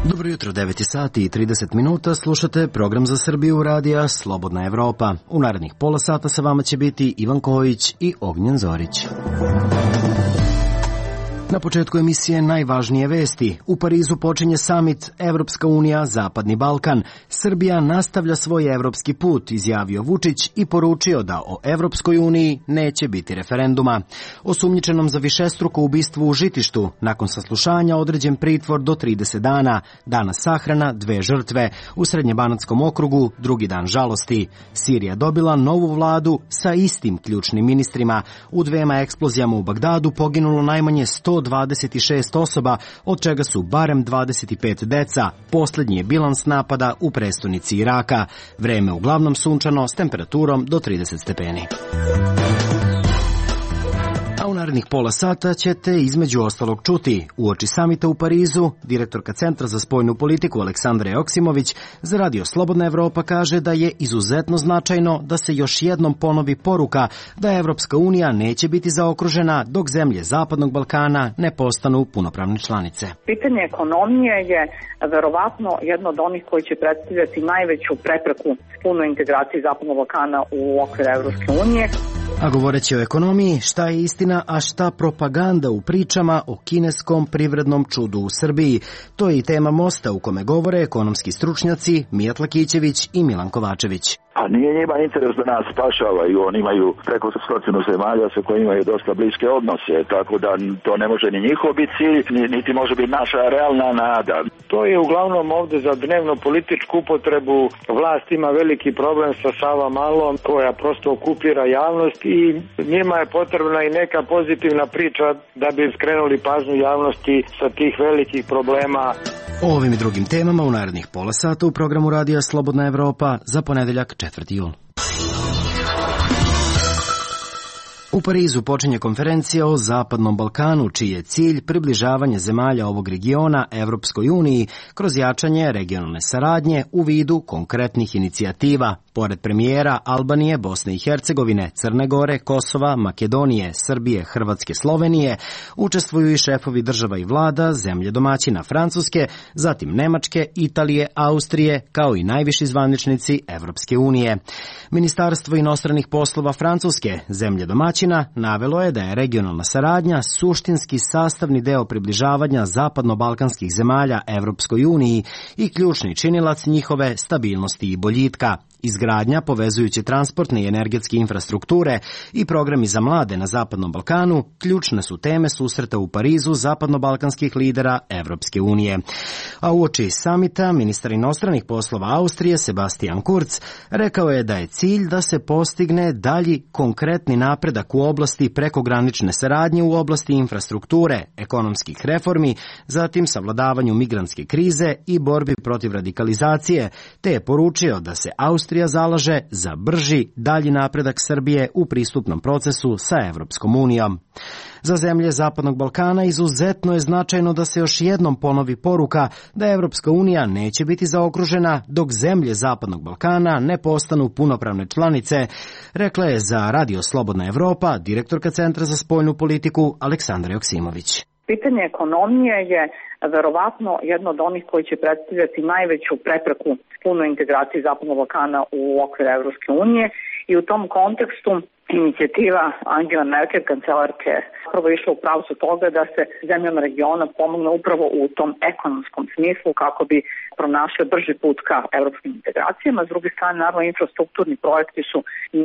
Dobro jutro, 9 sati i 30 minuta, slušate program za Srbiju radija Slobodna Evropa. U narednih pola sata sa vama će biti Ivan Kojić i Ognjen Zorić. Na početku emisije najvažnije vesti. U Parizu počinje samit Evropska unija, Zapadni Balkan. Srbija nastavlja svoj evropski put, izjavio Vučić i poručio da o Evropskoj uniji neće biti referenduma. Osumnjičenom za višestruko ubistvo u Žitištu, nakon saslušanja određen pritvor do 30 dana. Danas sahrana 2 žrtve. U Srednjebanatskom okrugu drugi dan žalosti. Sirija dobila novu vladu sa istim ključnim ministrima. U 2 eksplozijama u Bagdadu poginulo najmanje 126 osoba, od čega su barem 25 deca. Poslednji je bilans napada u prestonici Iraka. Vreme uglavnom sunčano s temperaturom do 30 stepeni. A u narednih pola sata ćete između ostalog čuti uoči samita u Parizu, direktorka Centra za spoljnu politiku Aleksandra Joksimović za Radio Slobodna Evropa kaže da je izuzetno značajno da se još jednom ponovi poruka da Evropska unija neće biti zaokružena dok zemlje Zapadnog Balkana ne postanu punopravne članice. Pitanje ekonomije je verovatno jedno od onih koji će predstavljati najveću prepreku punoj integraciji Zapadnog Balkana u okviru Evropske unije. A govoreći o ekonomiji, šta je istina, a šta propaganda u pričama o kineskom privrednom čudu u Srbiji. To je i tema Mosta u kome govore ekonomski stručnjaci Mijat Lakićević i Milan Kovačević. A nije njima interes da nas spašavaju, oni imaju preko 100 zemalja sa kojima imaju dosta bliske odnose, tako da to ne može ni njihov biti cilj, niti može biti naša realna nada. To je uglavnom ovde za dnevno političku upotrebu. Vlast ima veliki problem sa Savamalom koja prosto okupira javnost i njima je potrebna i neka pozitivna priča da bi skrenuli pažnju javnosti sa tih velikih problema. O ovim i drugim temama u narednih pola sata u programu Radija Slobodna Evropa za ponedeljak 4. jul. U Parizu počinje konferencija o Zapadnom Balkanu, čiji je cilj približavanje zemalja ovog regiona Evropskoj uniji kroz jačanje regionalne saradnje u vidu konkretnih inicijativa. Pored premijera Albanije, Bosne i Hercegovine, Crne Gore, Kosova, Makedonije, Srbije, Hrvatske, Slovenije, učestvuju i šefovi država i vlada, zemlje domaćina Francuske, zatim Nemačke, Italije, Austrije, kao i najviši zvaničnici Evropske unije. Ministarstvo inostranih poslova Francuske, zemlje domaćina, navelo je da je regionalna saradnja suštinski sastavni deo približavanja zapadno-balkanskih zemalja Evropskoj uniji i ključni činilac njihove stabilnosti i boljitka. Izgradnja povezujuće transportne i energetske infrastrukture i programi za mlade na Zapadnom Balkanu ključne su teme susreta u Parizu zapadno-balkanskih lidera Evropske unije. A uoči samita ministar inostranih poslova Austrije Sebastian Kurz rekao je da je cilj da se postigne dalji konkretni napredak u oblasti prekogranične saradnje u oblasti infrastrukture, ekonomskih reformi, zatim savladavanju migrantske krize i borbi protiv radikalizacije, te je poručio da se Austrija zalaže za brži dalji napredak Srbije u pristupnom procesu sa Evropskom unijom. Za zemlje Zapadnog Balkana izuzetno je značajno da se još jednom ponovi poruka da Evropska unija neće biti zaokružena dok zemlje Zapadnog Balkana ne postanu punopravne članice, rekla je za Radio Slobodna Evropa direktorka Centra za spoljnu politiku Aleksandra Joksimović. Pitanje ekonomije je verovatno jedno od onih koji će predstavljati najveću prepreku punoj integraciji Zapadnog Balkana u okviru Evropske unije i u tom kontekstu inicijativa Angela Merkel, kancelarke, prvo išla u pravcu toga da se zemljama regiona pomogne upravo u tom ekonomskom smislu kako bi pronašle brži put ka evropskim integracijama. S druge strane, naravno, infrastrukturni projekti su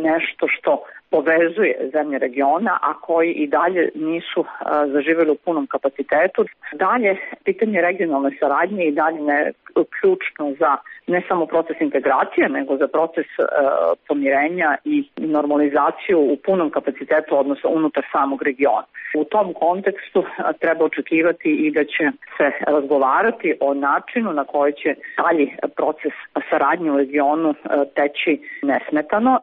nešto što povezuje zemlje regiona, a koji i dalje nisu zaživjeli u punom kapacitetu. Dalje, pitanje regionalne saradnje i dalje je ključno za ne samo proces integracije, nego za proces pomirenja i normalizaciju u punom kapacitetu odnosno unutar samog regiona. U tom kontekstu treba očekivati i da će se razgovarati o načinu na koji će dalji proces saradnje u regionu teći nesmetano.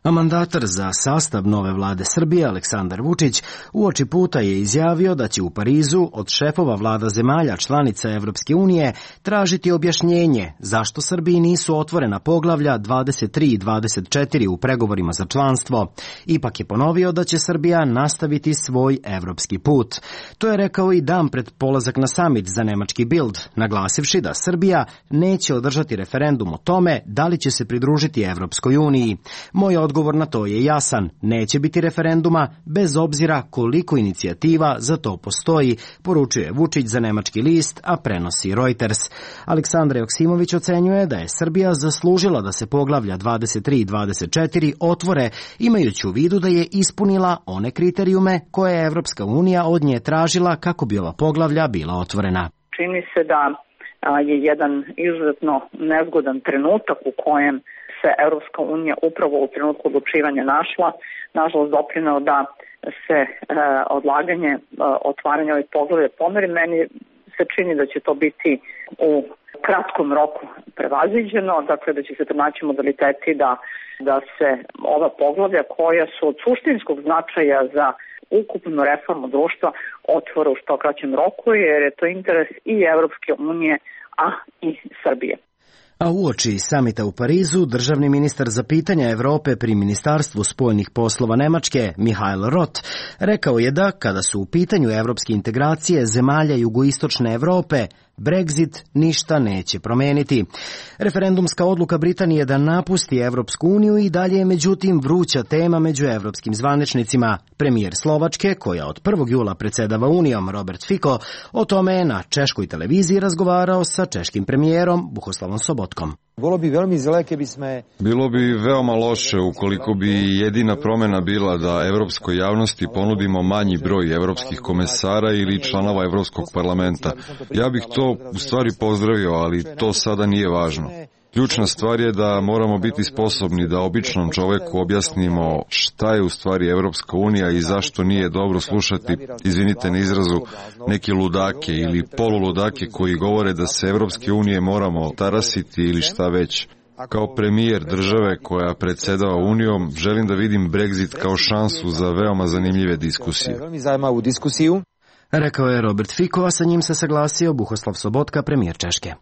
A mandatar za sastav nove vlade Srbije, Aleksandar Vučić, uoči puta je izjavio da će u Parizu od šefova vlada zemalja članica Evropske unije tražiti objašnjenje zašto Srbiji nisu otvorena poglavlja 23 i 24 u pregovorima za članstvo. Ipak je ponovio da će Srbija nastaviti svoj evropski put. To je rekao i dan pred polazak na samit za nemački Bild, naglasivši da Srbija neće održati referendum o tome da li će se pridružiti Evropskoj uniji. Moj odgovor na to je jasan, neće biti referenduma bez obzira koliko inicijativa za to postoji, poručuje Vučić za nemački list, a prenosi Reuters. Aleksandar Joksimović ocenjuje da je Srbija zaslužila da se poglavlja 23 i 24 otvore, imajući u vidu da je ispunila one kriterijume koje je Evropska unija od nje tražila kako bi ova poglavlja bila otvorena. Čini se da je jedan izuzetno nezgodan trenutak u kojem se Evropska unija upravo u trenutku odlučivanja našla, nažalost doprineo da se odlaganje, otvaranje ovih poglavlja pomeri. Meni se čini da će to biti u kratkom roku prevaziđeno, dakle da će se pronaći modaliteti da se ova poglavlja koja su od suštinskog značaja za ukupnu reformu društva otvore u što kraćem roku, jer je to interes i Evropske unije, a i Srbije. A uoči samita u Parizu, državni ministar za pitanja Evrope pri Ministarstvu spoljnih poslova Nemačke, Mihael Roth, rekao je da, kada su u pitanju evropske integracije zemalja jugoistočne Evrope, Brexit ništa neće promeniti. Referendumska odluka Britanije da napusti Evropsku uniju i dalje je međutim vruća tema među evropskim zvaničnicima. Premijer Slovačke, koja od 1. jula predsjedava Unijom, Robert Fico, o tome je na češkoj televiziji razgovarao sa češkim premijerom Bohuslavom Sobotkom. Bilo bi veoma loše ukoliko bi jedina promjena bila da evropskoj javnosti ponudimo manji broj evropskih komesara ili članova Evropskog parlamenta. Ja bih to u stvari pozdravio, ali to sada nije važno. Ključna stvar je da moramo biti sposobni da običnom čoveku objasnimo šta je u stvari Evropska unija i zašto nije dobro slušati, izvinite na izrazu, neke ludake ili poluludake koji govore da se Evropske unije moramo tarasiti ili šta već. Kao premijer države koja predsjedava Unijom, želim da vidim Brexit kao šansu za veoma zanimljive diskusije. Rekao je Robert Fico, a sa njim se saglasio Bohuslav Sobotka, premijer Češke.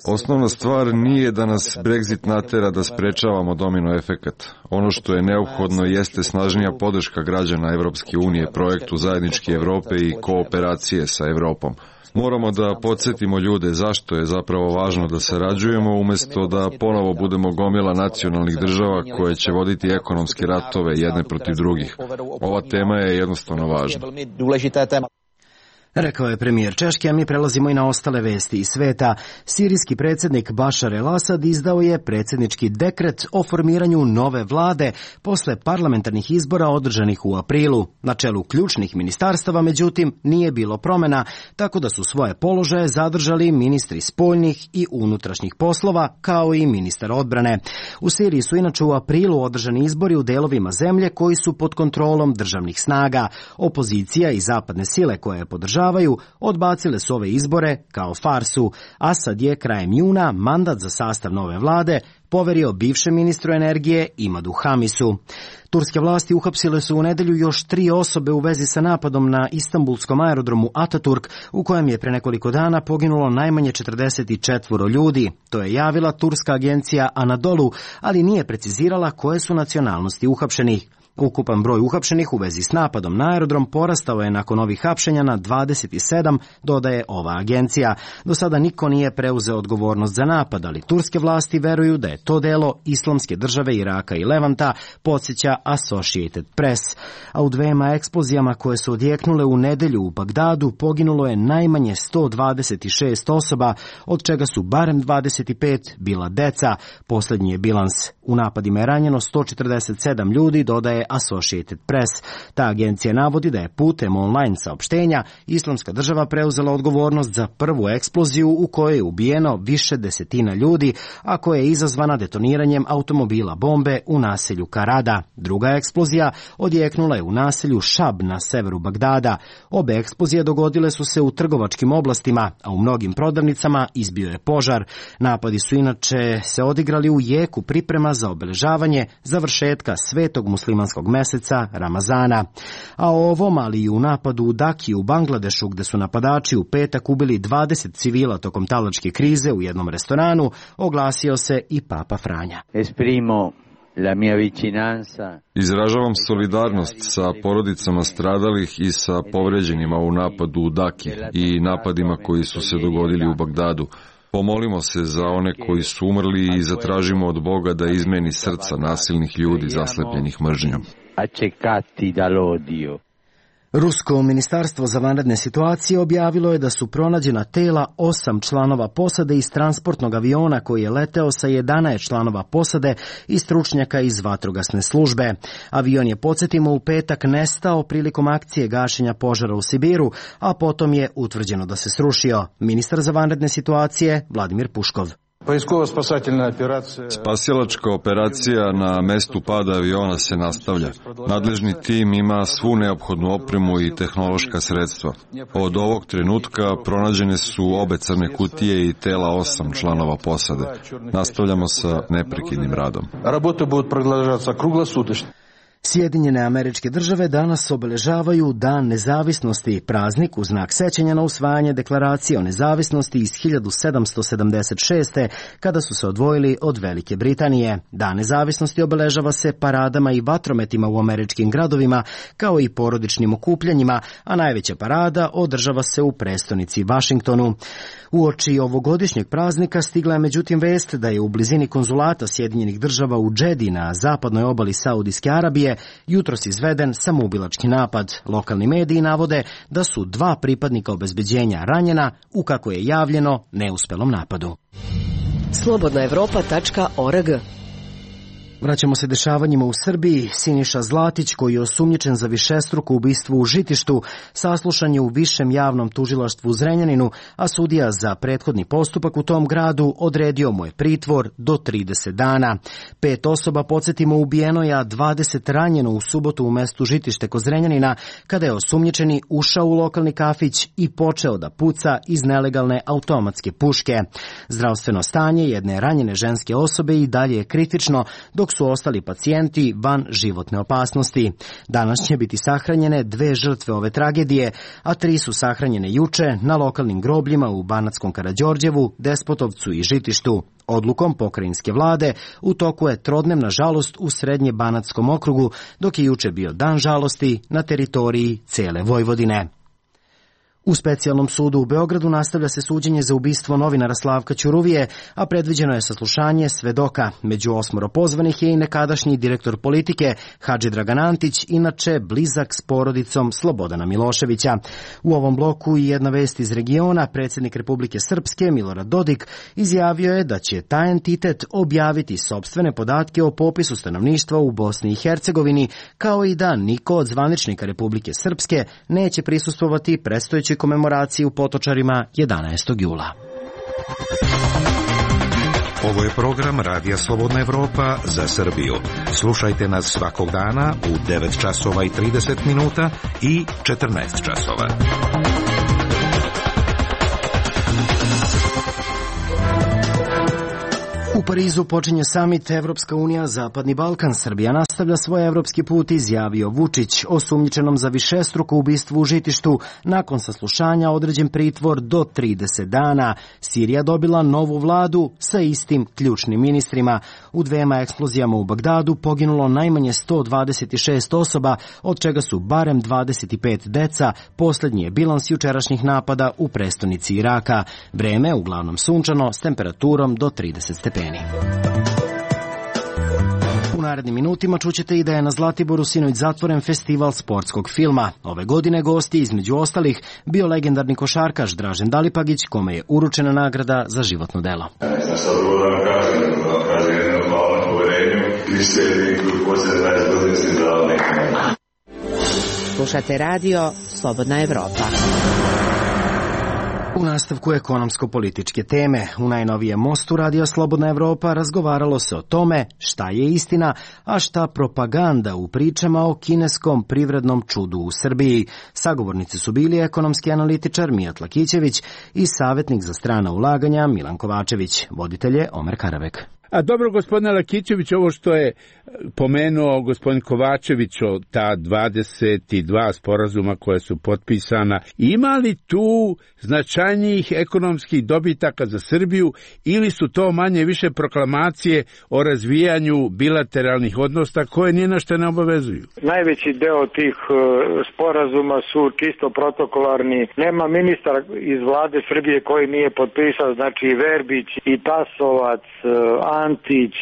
Osnovna stvar nije da nas Brexit natera da sprečavamo domino efekat. Ono što je neophodno jeste snažnija podrška građana Evropske unije projektu zajedničke Evrope i kooperacije sa Evropom. Moramo da podsjetimo ljude zašto je zapravo važno da sarađujemo, umjesto da ponovo budemo gomila nacionalnih država koje će voditi ekonomske ratove jedne protiv drugih. Ova tema je jednostavno važna. Rekao je premijer Češke, a mi prelazimo i na ostale vesti iz sveta. Sirijski predsjednik Bašar el-Asad izdao je predsjednički dekret o formiranju nove vlade posle parlamentarnih izbora održanih u aprilu. Na čelu ključnih ministarstava, međutim, nije bilo promjena, tako da su svoje položaje zadržali ministri spoljnih i unutrašnjih poslova, kao i ministar odbrane. U Siriji su inače u aprilu održani izbori u delovima zemlje koji su pod kontrolom državnih snaga. Opozicija i zapadne sile koje je podržavaju odbacile su ove izbore kao farsu. Asad je krajem juna mandat za sastav nove vlade poverio bivšem ministru energije Imadu Hamisu. Turske vlasti uhapsile su u nedelju još 3 osobe u vezi sa napadom na istanbulskom aerodromu Ataturk, u kojem je pre nekoliko dana poginulo najmanje 44 ljudi. To je javila turska agencija Anadolu, ali nije precizirala koje su nacionalnosti uhapšenih. Ukupan broj uhapšenih u vezi s napadom na aerodrom porastao je nakon ovih hapšenja na 27, dodaje ova agencija. Do sada niko nije preuzeo odgovornost za napad, ali turske vlasti veruju da je to delo Islamske države Iraka i Levanta, podsjeća Associated Press. A u 2 eksplozijama koje su odjeknule u nedelju u Bagdadu poginulo je najmanje 126 osoba, od čega su barem 25 bila deca. Posljednji je bilans. U napadima je ranjeno 147 ljudi, dodaje Associated Press. Ta agencija navodi da je putem online saopštenja Islamska država preuzela odgovornost za prvu eksploziju u kojoj je ubijeno više desetina ljudi, a koja je izazvana detoniranjem automobila bombe u naselju Karada. Druga eksplozija odjeknula je u naselju Šab na severu Bagdada. Obe eksplozije dogodile su se u trgovačkim oblastima, a u mnogim prodavnicama izbio je požar. Napadi su inače se odigrali u jeku priprema za obeležavanje završetka svetog muslimanskog meseca Ramazana. A o ovom, ali i u napadu u Daki u Bangladešu, gde su napadači u petak ubili 20 civila tokom talačke krize u jednom restoranu, oglasio se i Papa Franja. Izražavam solidarnost sa porodicama stradalih i sa povređenima u napadu u Daki i napadima koji su se dogodili u Bagdadu. Pomolimo se za one koji su umrli i zatražimo od Boga da izmeni srca nasilnih ljudi zaslepljenih mržnjom. Rusko ministarstvo za vanredne situacije objavilo je da su pronađena tela 8 članova posade iz transportnog aviona koji je leteo sa 11 članova posade i stručnjaka iz vatrogasne službe. Avion je, podsjetimo, u petak nestao prilikom akcije gašenja požara u Sibiru, a potom je utvrđeno da se srušio. Ministar za vanredne situacije Vladimir Puškov. Spasilačka operacija na mestu pada aviona se nastavlja. Nadležni tim ima svu neophodnu opremu i tehnološka sredstva. Od ovog trenutka pronađene su obe crne kutije i tela 8 članova posade. Nastavljamo sa neprekidnim radom. Sjedinjene Američke Države danas obeležavaju Dan nezavisnosti, praznik u znak sećanja na usvajanje deklaracije o nezavisnosti iz 1776. kada su se odvojili od Velike Britanije. Dan nezavisnosti obeležava se paradama i vatrometima u američkim gradovima, kao i porodičnim okupljanjima, a najveća parada održava se u prestonici Vašingtonu. Uoči ovogodišnjeg praznika stigla je međutim vest da je u blizini konzulata Sjedinjenih Država u Džedi na zapadnoj obali Saudijske Arabije jutros izveden samoubilački napad. Lokalni mediji navode da su 2 pripadnika obezbeđenja ranjena u, kako je javljeno, neuspelom napadu. Slobodnaevropa.org. Vraćamo se dešavanjima u Srbiji. Siniša Zlatić, koji je osumnjičen za višestruko ubistvo u Žitištu, saslušan je u Višem javnom tužilaštvu u Zrenjaninu, a sudija za prethodni postupak u tom gradu odredio mu je pritvor do 30 dana. 5 osoba, podsjetimo, ubijeno je, a 20 ranjeno u subotu u mestu Žitište kod Zrenjanina, kada je osumnjičeni ušao u lokalni kafić i počeo da puca iz nelegalne automatske puške. Zdravstveno stanje jedne ranjene ženske osobe i dalje je kritično, dok su ostali pacijenti van životne opasnosti. Danas će biti sahranjene 2 žrtve ove tragedije, a 3 su sahranjene juče na lokalnim grobljima u Banatskom Karađorđevu, Despotovcu i Žitištu. Odlukom pokrajinske vlade u toku je trodnevna žalost u Srednje Banatskom okrugu, dok je juče bio dan žalosti na teritoriji cele Vojvodine. U specijalnom sudu u Beogradu nastavlja se suđenje za ubistvo novinara Slavka Ćuruvije, a predviđeno je saslušanje svedoka. Među 8 pozvanih je i nekadašnji direktor politike Hadži Dragan Antić, inače blizak s porodicom Slobodana Miloševića. U ovom bloku i jedna vest iz regiona. Predsjednik Republike Srpske Milorad Dodik izjavio je da će taj entitet objaviti sopstvene podatke o popisu stanovništva u Bosni i Hercegovini, kao i da niko od zvaničnika Republike Srpske neće prisustvovati predstojećoj komemoraciji u Potočarima 11. jula. Ovo je program Radija Slobodna Evropa za Srbiju. Slušajte nas svakog dana u 9 časova i 30 minuta i 14 časova. U Parizu počinje samit Evropska unija Zapadni Balkan. Srbija nastavlja svoj evropski put, izjavio Vučić. Osumnjičenom za višestruko ubistvo u Žitištu nakon saslušanja određen pritvor do 30 dana. Sirija dobila novu vladu sa istim ključnim ministrima. U 2 eksplozijama u Bagdadu poginulo najmanje 126 osoba, od čega su barem 25 deca. Poslednji je bilans jučerašnjih napada u prestonici Iraka. Vreme uglavnom sunčano s temperaturom do 30 stepeni. U narednim minutima čućete i da je na Zlatiboru sinoć zatvoren festival sportskog filma. Ove godine gosti, između ostalih, bio legendarni košarkaš Dražen Dalipagić, kome je uručena nagrada za životno delo. Ja sam sad da kažem jedno hvala poverenje kriteriji koji poslije 20 godina se dao nekako. Slušate radio Slobodna Evropa. U nastavku ekonomsko-političke teme, u najnovijem mostu Radio Slobodna Evropa razgovaralo se o tome šta je istina, a šta propaganda u pričama o kineskom privrednom čudu u Srbiji. Sagovornici su bili ekonomski analitičar Mijat Lakićević i savjetnik za strana ulaganja Milan Kovačević. Voditelj je Omer Karavek. A dobro, gospodine Lakićević, ovo što je pomenuo gospodin Kovačević o ta 22 sporazuma koja su potpisana, ima li tu značajnijih ekonomskih dobitaka za Srbiju ili su to manje više proklamacije o razvijanju bilateralnih odnosa koje ni na što ne obavezuju? Najveći deo tih sporazuma su čisto protokolarni. Nema ministar iz vlade Srbije koji nije potpisao, znači Verbić i Tasovac, Antić,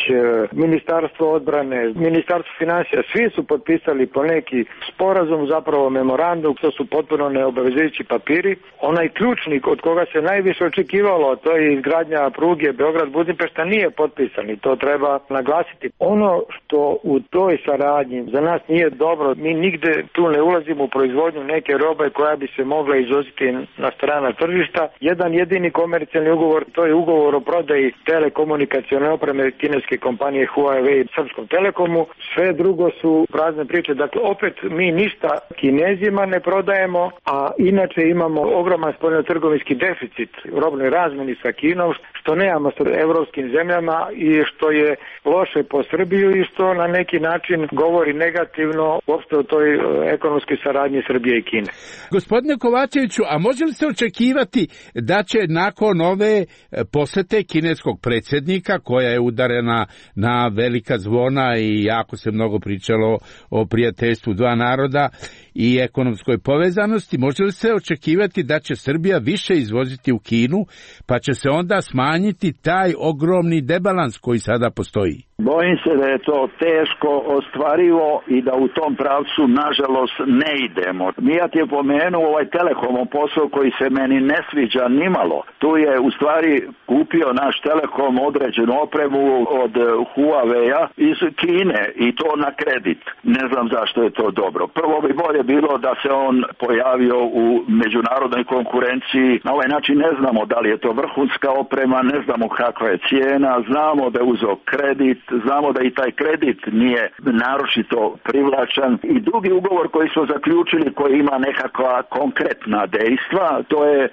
Ministarstvo odbrane, Ministarstvo finansija, svi su potpisali po neki sporazum, zapravo memorandum, to su potpuno neobavezujući papiri. Onaj ključnik od koga se najviše očekivalo, to je izgradnja pruge Beograd-Budimpešta, nije potpisan i to treba naglasiti. Ono što u toj saradnji za nas nije dobro, mi nigde tu ne ulazimo u proizvodnju neke robe koja bi se mogla izvoziti na strana tržišta. Jedan jedini komercijalni ugovor, to je ugovor o prodaji telekomunikacione opreme kineske kompanije Huawei Srpskom Telekomu. Sve drugo su prazne priče. Dakle, opet mi ništa Kinezima ne prodajemo, a inače imamo ogroman spoljnotrgovinski deficit u robnoj razmeni sa Kinom, što nemamo sa evropskim zemljama i što je loše po Srbiju i što na neki način govori negativno uopšte o toj ekonomskoj saradnji Srbije i Kine. Gospodine Kovačeviću, a može li se očekivati da će nakon ove posete kineskog predsjednika, koja je udarena na velika zvona i jako se mnogo pričalo o prijateljstvu dva naroda i ekonomskoj povezanosti, može li se očekivati da će Srbija više izvoziti u Kinu, pa će se onda smanjiti taj ogromni debalans koji sada postoji? Bojim se da je to teško ostvarivo i da u tom pravcu nažalost ne idemo. Mijat je pomenuo ovaj Telekomov posao koji se meni ne sviđa nimalo. Tu je u stvari kupio naš Telekom određenu opremu od Huawei-a iz Kine i to na kredit. Ne znam zašto je to dobro. Prvo bi bolje bilo da se on pojavio u međunarodnoj konkurenciji. Na ovaj način ne znamo da li je to vrhunska oprema, ne znamo kakva je cijena, znamo da je uzeo kredit, znamo da i taj kredit nije naročito privlačan. I drugi ugovor koji smo zaključili, koji ima nekakva konkretna dejstva, to je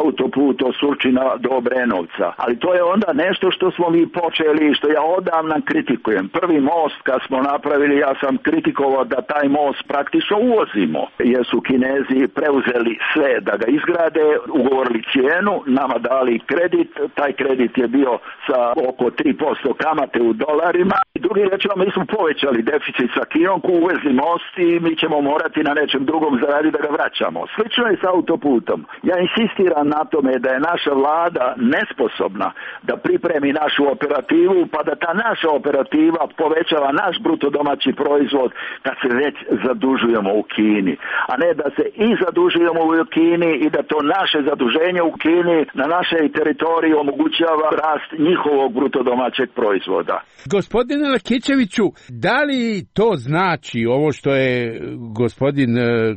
autoput od Surčina do Obrenovca. Ali to je onda nešto što smo mi počeli, što ja odavno kritikujem. Prvi most kad smo napravili, ja sam kritikovao da taj most praktično uvozimo, jer su Kinezi preuzeli sve da ga izgrade, ugovorili cijenu, nama dali kredit, taj kredit je bio sa oko 3% kamate u dolarima. Drugi rečeno, mi smo povećali deficit sa Kinom, uvezli most i mi ćemo morati na nečem drugom zaraditi da ga vraćamo. Slično je sa autoputom. Ja insistiram na tome da je naša vlada nesposobna da pripremi našu operativu, pa da ta naša operativa povećava naš bruto domaći proizvod kad se već zadužujemo u Kini, a ne da se i zadužujemo u Kini i da to naše zaduženje u Kini na našoj teritoriji omogućava rast njihovog bruto domaćeg proizvoda. Gospodine Lakićeviću, da li to znači ovo što je gospodin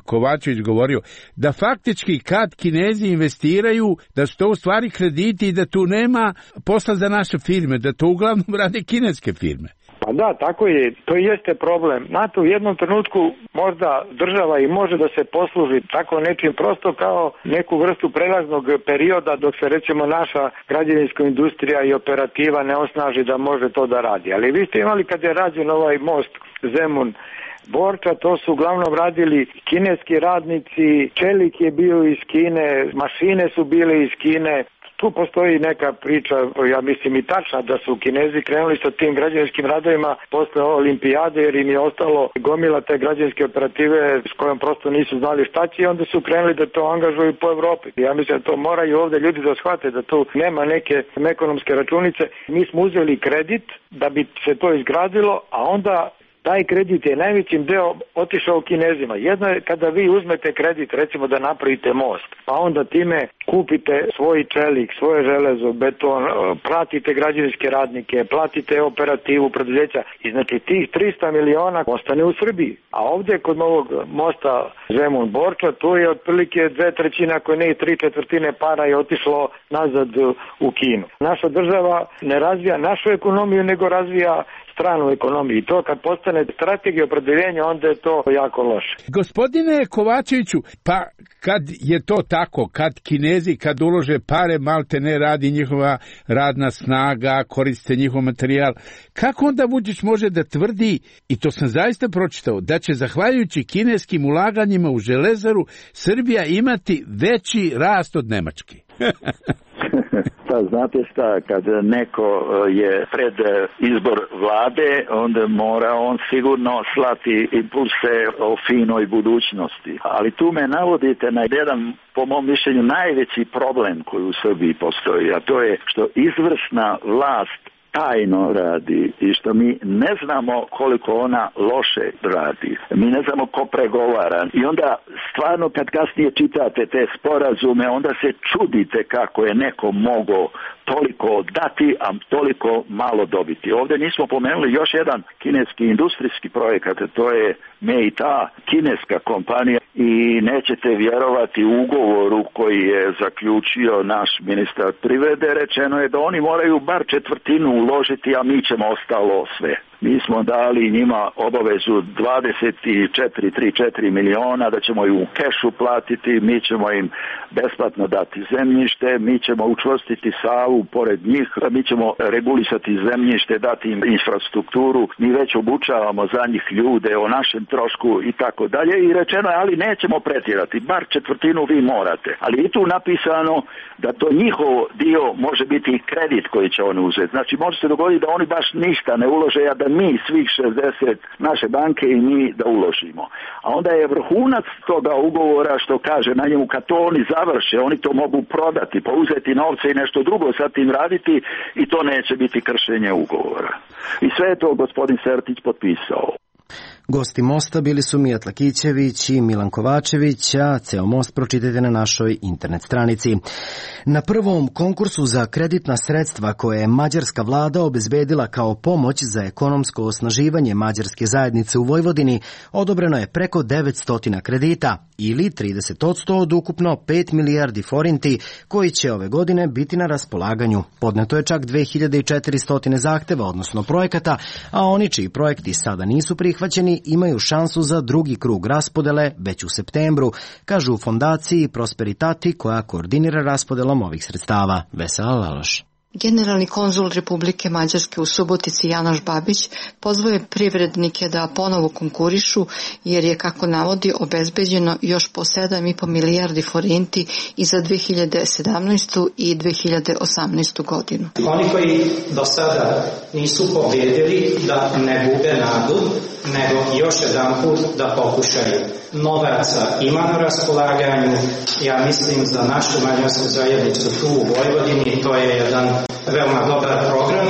Kovačević govorio, da faktički kad Kinezi investiraju, da su to u stvari krediti i da tu nema posla za naše firme, da to uglavnom rade kineske firme? Pa da, tako je. To jeste problem. NATO u jednom trenutku možda država i može da se posluži tako nečim prosto kao neku vrstu prelaznog perioda dok se recimo naša građevinska industrija i operativa ne osnaži da može to da radi. Ali vi ste imali kad je rađen ovaj most Zemun Borča, to su uglavnom radili kineski radnici, čelik je bio iz Kine, mašine su bile iz Kine. Tu postoji neka priča, ja mislim i tačna, da su Kinezi krenuli sa tim građevinskim radovima posle olimpijade jer im je ostalo gomila te građevinske operative s kojom prosto nisu znali šta će i onda su krenuli da to angažuju po Evropi. Ja mislim da to moraju ovde ljudi da shvate da tu nema neke ekonomske računice. Mi smo uzeli kredit da bi se to izgradilo, a onda Taj kredit je najvećim deo otišao Kinezima. Jedno je kada vi uzmete kredit, recimo da napravite most, pa onda time kupite svoj čelik, svoje železo, beton, platite građevinske radnike, platite operativu preduzeća i znači tih 300 miliona ostane u Srbiji. A ovdje kod ovog mosta Zemun-Borča, tu je otprilike 2/3, ako ne i 3/4 para je otišlo nazad u Kinu. Naša država ne razvija našu ekonomiju, nego razvija stranu ekonomiju. I to kad postane strategija opredeljenja, onda je to jako loše. Gospodine Kovačeviću, pa kad je to tako, kad Kinezi, kad ulože pare, malte ne radi njihova radna snaga, koriste njihov materijal, kako onda Vučić može da tvrdi, i to sam zaista pročitao, da će zahvaljujući kineskim ulaganjima u železaru Srbija imati veći rast od Nemačke? Pa znate šta, kad neko je pred izbor vlade, onda mora on sigurno slati impulse o finoj budućnosti. Ali tu me navodite na jedan, po mom mišljenju, najveći problem koji u Srbiji postoji, a to je što izvršna vlast tajno radi i što mi ne znamo koliko ona loše radi. Mi ne znamo ko pregovara. I onda stvarno kad kasnije čitate te sporazume, onda se čudite kako je neko mogao toliko dati, a toliko malo dobiti. Ovdje nismo pomenuli još jedan kineski industrijski projekat, to je Meita, kineska kompanija, i nećete vjerovati ugovoru koji je zaključio naš ministar privrede. Rečeno je da oni moraju bar 1/4 uložiti, a mi ćemo ostalo sve. Mi smo dali njima obavezu 24 miliona, da ćemo im u kešu platiti, mi ćemo im besplatno dati zemljište, mi ćemo učvrstiti Savu pored njih, mi ćemo regulisati zemljište, dati im infrastrukturu, mi već obučavamo za njih ljude o našem trošku i tako dalje. I rečeno je, ali nećemo pretjerati, bar 1/4 vi morate. Ali i tu napisano da to njihov dio može biti i kredit koji će oni uzeti. Znači može se dogoditi da oni baš ništa ne ulože, a da mi svih 60 naše banke i mi da uložimo. A onda je vrhunac toga ugovora što kaže na njemu, kad to oni završe, oni to mogu prodati, pa uzeti novce i nešto drugo sa tim raditi i to neće biti kršenje ugovora. I sve je to gospodin Sertić potpisao. Gosti Mosta bili su Mijat Lakićević i Milan Kovačević, a ceo Most pročitajte na našoj internet stranici. Na prvom konkursu za kreditna sredstva koje je mađarska vlada obezbedila kao pomoć za ekonomsko osnaživanje mađarske zajednice u Vojvodini, odobreno je preko 900 kredita, ili 30% od ukupno 5 milijardi forinti, koji će ove godine biti na raspolaganju. Podneto je čak 2400 zahteva, odnosno projekata, a oni čiji projekti sada nisu prihvaćeni imaju šansu za drugi krug raspodele već u septembru, kažu u fondaciji Prosperitati koja koordinira raspodelom ovih sredstava. Vesela Laloš. Generalni konzul Republike Mađarske u Subotici Janoš Babić pozvao je privrednike da ponovo konkurišu jer je, kako navodi, obezbeđeno još po 7,5 milijardi forinti i za 2017. i 2018. godinu. Oni koji do sada nisu pobjedili da ne gube nadu, nego još jedan put da pokušaju. Novaca ima na raspolaganju, ja mislim za našu mađarsku zajednicu tu u Vojvodini, to je jedan veoma dobar program.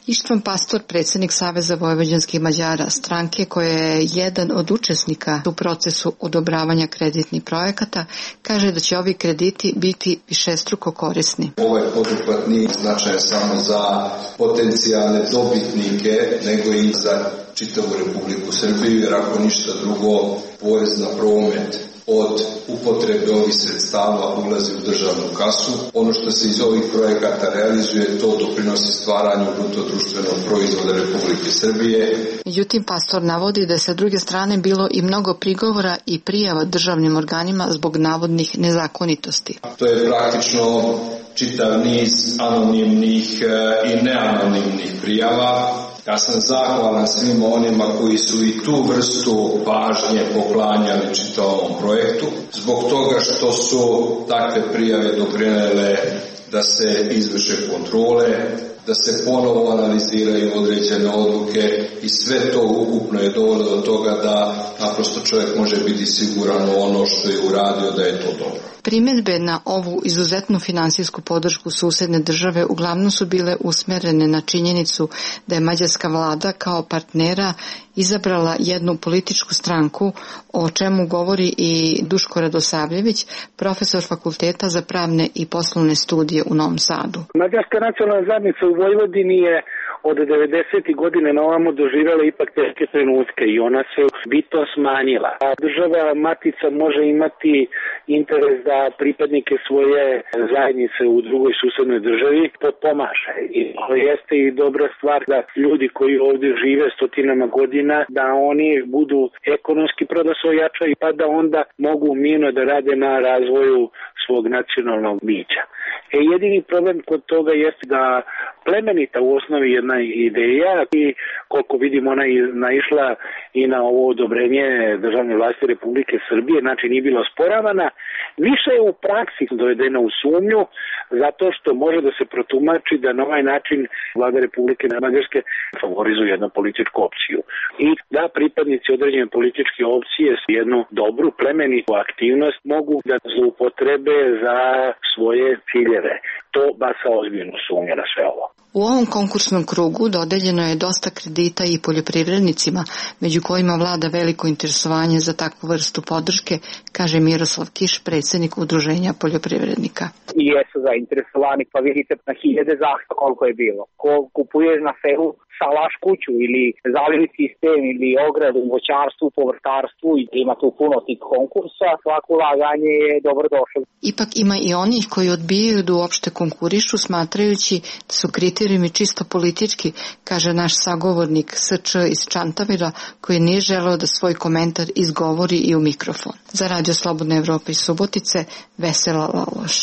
Ištvan Pastor, predsjednik Saveza vojvođanskih Mađara, stranke koja je jedan od učesnika u procesu odobravanja kreditnih projekata, kaže da će ovi krediti biti višestruko korisni. Ovaj poduhvat nije značajan samo za potencijalne dobitnike, nego i za čitavu Republiku Srbiju, jer ako ništa drugo, porez na promet od upotrebe ovih sredstava ulazi u državnu kasu. Ono što se iz ovih projekata realizuje, to doprinosi stvaranju bruto društvenog proizvoda Republike Srbije. Međutim, Pastor navodi da je sa druge strane bilo i mnogo prigovora i prijava državnim organima zbog navodnih nezakonitosti. To je praktično čitav niz anonimnih i neanonimnih prijava. Ja sam zahvalan svima onima koji su i tu vrstu pažnje poklanjali čitavom projektu, zbog toga što su takve prijave doprinele da se izvrše kontrole, da se ponovo analiziraju određene odluke i sve to ukupno je dovelo do toga da naprosto čovjek može biti siguran u ono što je uradio da je to dobro. Primjedbe na ovu izuzetnu finansijsku podršku susedne države uglavnom su bile usmerene na činjenicu da je mađarska vlada kao partnera izabrala jednu političku stranku, o čemu govori i Duško Radosavljević, profesor Fakulteta za pravne i poslovne studije u Novom Sadu. Mađarska nacionalna zajednica u Vojvodini je od 90. godine na ovamo doživjela ipak teške trenutke i ona se bitno smanjila. A država matica može imati interes da pripadnike svoje zajednice u drugoj susednoj državi potpomaže. I to jeste i dobra stvar da ljudi koji ovdje žive stotinama godina, da oni budu ekonomski prodasojačaju pa da onda mogu mirno da rade na razvoju svog nacionalnog bića. Jedini problem kod toga jeste da plemenita u osnovi jedna ideja i koliko vidim ona je naišla i na ovo odobrenje državne vlasti Republike Srbije, znači nije bila osporavana, više je u praksi dovedena u sumnju zato što može da se protumači da na ovaj način vlada Republike Mađarske favorizuje jednu političku opciju i da pripadnici određene političke opcije s jednu dobru plemenitu aktivnost mogu da zloupotrebe za svoje ciljeve. To baca ozbiljnu sumnju na sve ovo. U ovom konkursnom krugu dodeljeno je dosta kredita i poljoprivrednicima, među kojima vlada veliko interesovanje za takvu vrstu podrške, kaže Miroslav Kiš, predsjednik Udruženja poljoprivrednika. I jesu zainteresovani, pa vidite na hiljade zahtjeva koliko je bilo. Ko kupuješ na selu salaš kuću ili zalivni sistem ili ogradu u voćarstvu, povrtarstvu, ima tu puno tih konkursa, svako ulaganje je dobrodošlo. Ipak ima i onih koji odbijaju da uopšte konkurišu, smatrajući da su kriterijumi čisto politički, kaže naš sagovornik S.Č. iz Čantavira, koji nije želeo da svoj komentar izgovori i u mikrofon. Za Radio Slobodna Evropa iz Subotice, Vesela Laloš.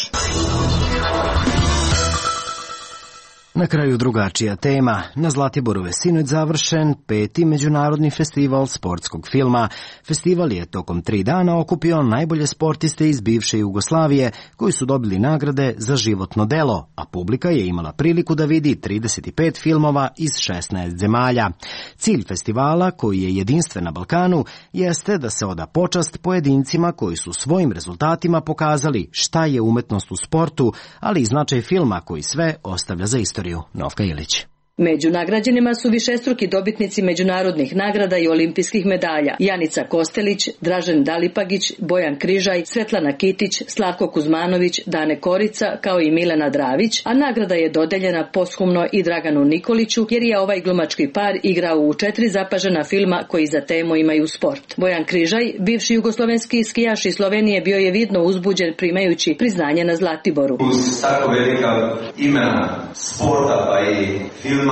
Na kraju drugačija tema. Na Zlatiboru je sinoć završen 5. međunarodni festival sportskog filma. Festival je tokom 3 dana okupio najbolje sportiste iz bivše Jugoslavije koji su dobili nagrade za životno delo, a publika je imala priliku da vidi 35 filmova iz 16 zemalja. Cilj festivala, koji je jedinstven na Balkanu, jeste da se oda počast pojedincima koji su svojim rezultatima pokazali šta je umetnost u sportu, ali i značaj filma koji sve ostavlja za istoriju. Novka Ilić. Među nagrađenima su višestruki dobitnici međunarodnih nagrada i olimpijskih medalja: Janica Kostelić, Dražen Dalipagić, Bojan Križaj, Svetlana Kitić, Slavko Kuzmanović, Dane Korica, kao i Milena Dravić, a nagrada je dodeljena posthumno i Draganu Nikoliću, jer je ovaj glumački par igrao u 4 zapažena filma koji za temu imaju sport. Bojan Križaj, bivši jugoslovenski skijaš iz Slovenije, bio je vidno uzbuđen primajući priznanje na Zlatiboru. Uz tako velika imena sporta pa i filma,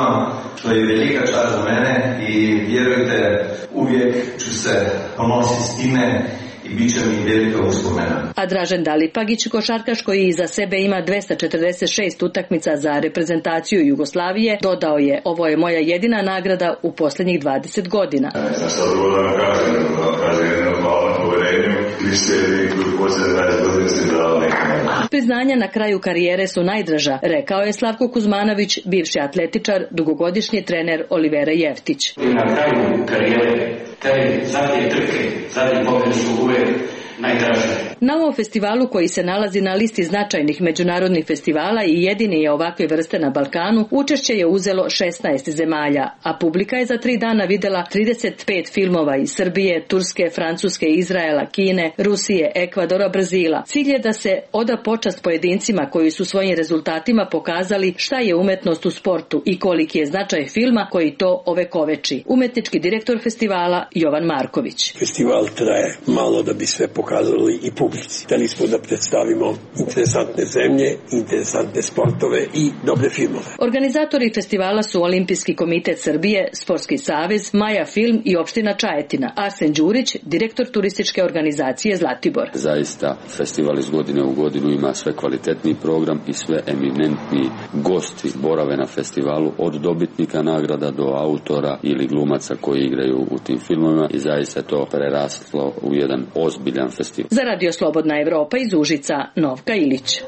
to je velika čast za mene i vjerujte, uvijek ću se ponositi s time i bit će mi velika uspomena. A Dražen Dalipagić, košarkaš koji iza sebe ima 246 utakmica za reprezentaciju Jugoslavije, dodao je: ovo je moja jedina nagrada u posljednjih 20 godina. Ja sad drugo da vam kažem jedno hvala na poverenju i sve koji poslije 20 godina ste dali nekada. Priznanja na kraju karijere su najdraža, rekao je Slavko Kuzmanović, bivši atletičar, dugogodišnji trener Olivera Jeftić. I na kraju karijere, te zadnje trke, zadnje pobjede su uvijek najdraže. Na ovom festivalu, koji se nalazi na listi značajnih međunarodnih festivala i jedini je ovakve vrste na Balkanu, učešće je uzelo 16 zemalja, a publika je za 3 dana videla 35 filmova iz Srbije, Turske, Francuske, Izraela, Kine, Rusije, Ekvadora, Brazila. Cilj je da se oda počast pojedincima koji su svojim rezultatima pokazali šta je umetnost u sportu i koliki je značaj filma koji to ovekoveči. Umetnički direktor festivala Jovan Marković. Festival traje malo da bi sve pokazali i publici. Hteli smo da predstavimo interesantne zemlje, interesantne sportove i dobre filmove. Organizatori festivala su Olimpijski komitet Srbije, Sportski savez, Maja Film i opština Čajetina. Arsen Đurić, direktor turističke organizacije Zlatibor. Zaista festival iz godine u godinu ima sve kvalitetniji program i sve eminentni gosti borave na festivalu, od dobitnika nagrada do autora ili glumaca koji igraju u tim filmovima, i zaista je to preraslo u jedan ozbiljan festival. Za Radio Slobodna Evropa iz Užica, Novka Ilić.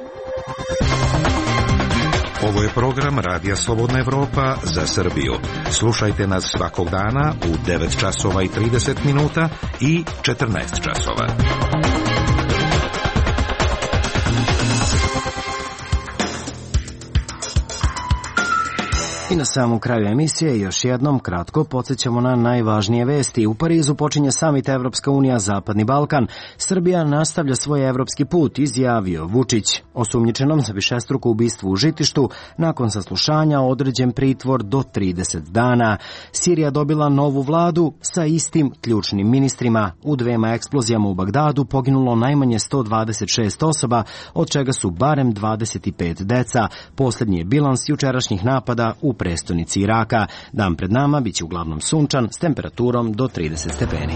Ovo je program Radija Slobodna Evropa za Srbiju. Slušajte nas svakog dana u 9 časova i 30 minuta i 14 časova. I na samom kraju emisije još jednom kratko podsjećamo na najvažnije vesti. U Parizu počinje samit Evropska unija Zapadni Balkan. Srbija nastavlja svoj evropski put, izjavio Vučić. Osumnjičenom za višestruko ubistvo u Žitištu nakon saslušanja određen pritvor do 30 dana. Sirija dobila novu vladu sa istim ključnim ministrima. U dvema eksplozijama u Bagdadu poginulo najmanje 126 osoba, od čega su barem 25 deca. Posljednji je bilans jučerašnjih napada u prestonici Iraka. Dan pred nama biće uglavnom sunčan s temperaturom do 30 stepeni.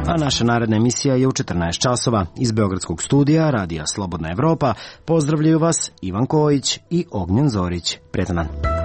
A naša naredna emisija je u 14 časova. Iz Beogradskog studija Radija Slobodna Evropa pozdravljaju vas Ivan Kojić i Ognjen Zorić. Prijetan dan.